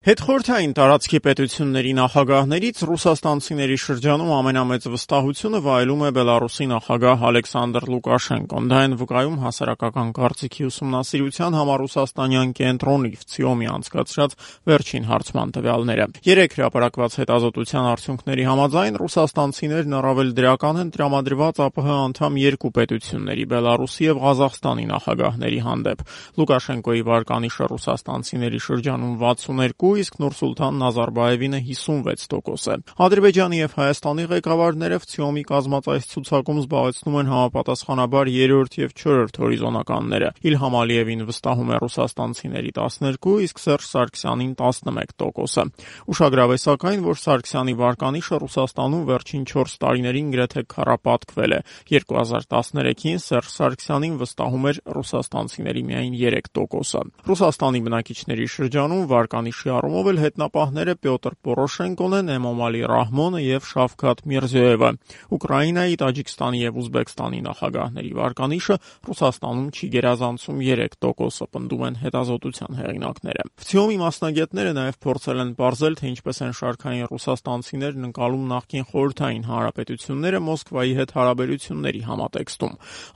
Հետխորհրդային տարածքի պետությունների նախագահներից ռուսաստանցիների շրջանում ամենամեծ վստահությունը վայելում է Բելարուսի նախագահ Ալեքսանդր Լուկաշենկոն։ Դա են վկայում հասարակական կարծիքի ուսումնասիրության համառուսաստանյան կենտրոնի ՎՑԻՕՄ-ի անցկացրած վերջին հարցման տվյալները։ 3 հրապարակված հետազոտության արդյունքների համաձայն ռուսաստանցիներն առավել դրական են տրամադրված ԱՊՀ անդամ 2 պետությունների՝ Բելարուսի եւ Ղազախստանի նախագահների հանդեպ։ Լուկաշենկոյի վարկանիշը ռուսաստանցիների շրջանում 62, իսկ Նուրսուլթան Նազարբաևինը 56% է։ Ադրբեջանի եւ Հայաստանի ղեկավարները ՎՑԻՕՄ-ի կազմած այս ցուցակում զբաղեցնում են համապատասխանաբար 3-րդ եւ 4-րդ հորիզոնականները։ Իլհամ Ալիևին վստահում է ռուսաստանցիների 12, իսկ Սերժ Սարգսյանին 11%-ը։ Ուշագրավ է սակայն, որ Սարգսյանի վարկանիշը Ռուսաստանում վերջին 4 տարիներին գրեթե քառապատկվել է։ 2013-ին Սերժ Սարգսյանին վստահում էր ռուսաստանցիների միայն 3%-ը։ Ռուսաստանի բնակիչների շրջանում վարկանիշի առումով էլ հետնապահները Պյոտր Պորոշենկոն են, Էմոմալի Ռահմոնը եւ Շավքաթ Միրզոևը։ Ուկրաինայի, Տաջիկստանի եւ Ուզբեկստանի նախագահների վարկանիշը Ռուսաստանում չի գերազանցում 3%-ը, պնդում են հետազոտության հեղինակները։ ՎՑԻՕՄ-ի մասնագետները նաեւ փորձել են պարզել, թե ինչպես են շարքային ռուսաստանցիներն ընկալում նախկին խորհրդային հանրապետությունները Մոսկվայի հետ հարաբերությունների համատեքստում։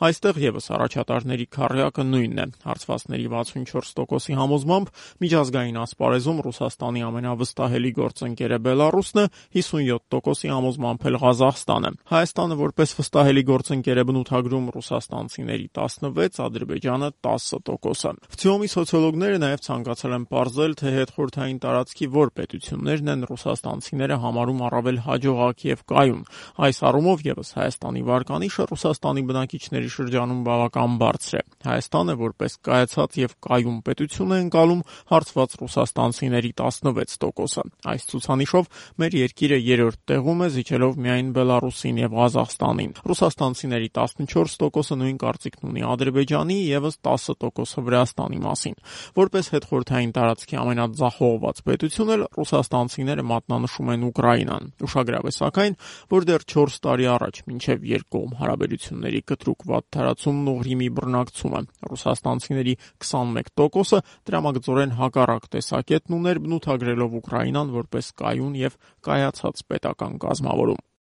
Այստեղ եւս առաջատարների քառյակը նույնն է։ Հարցվածների 64%-ի համոզմամբ միջազգային ասպարեզում Ռուսաստանի ամենավստահելի գործընկերը Բելարուսն է, 57%-ի համոզմամբ էլ Ղազախստանը։ Հայաստանը որպես վստահելի գործընկեր է բնութագրում ռուսաստանցիների 16, Ադրբեջանը 10%-ը։ ՎՑԻՕՄ-ի սոցիոլոգները նաև ցանկացել են պարզել, թե հետխորհրդային տարածքի որ պետություններն են ռուսաստանցիները համարում առավել հաջողակ եւ կայուն։ Այս առումով եւս Հայաստանի վարկանիշը Ռուսաստանի բնակիչների շրջանում բավական բարձր է։ Հայաստանը որպես կայացած եւ կայուն պետություն է ընկալում հարցված ռուսաստանցիների 16%-ը։ Այս ցուցանիշով մեր երկիրը 3-րդ տեղում է, զիջելով միայն Բելարուսին եւ Ղազախստանին։ Ռուսաստանցիների 14%-ը նույն կարծիքն ունի Ադրբեջանի, եւս 10%-ը Վրաստանի մասին։ Որպես հետխորհրդային տարածքի ամենաձախողված պետություն էլ ռուսաստանցիները մատնանշում են Ուկրաինան։ Ուշագրավ է սակայն, որ դեռ 4 տարի առաջ, մինչև երկկողմ հարաբերությունների կտրուկ վատթարացումն ու Ղրիմի բռնակցումը, ռուսաստանցիների 21%-ը դրամագծորեն հակառակ տեսակետն ուներ, բնութագրելով Ուկրաինան որպես կայուն եւ կայացած պետական կազմավորում։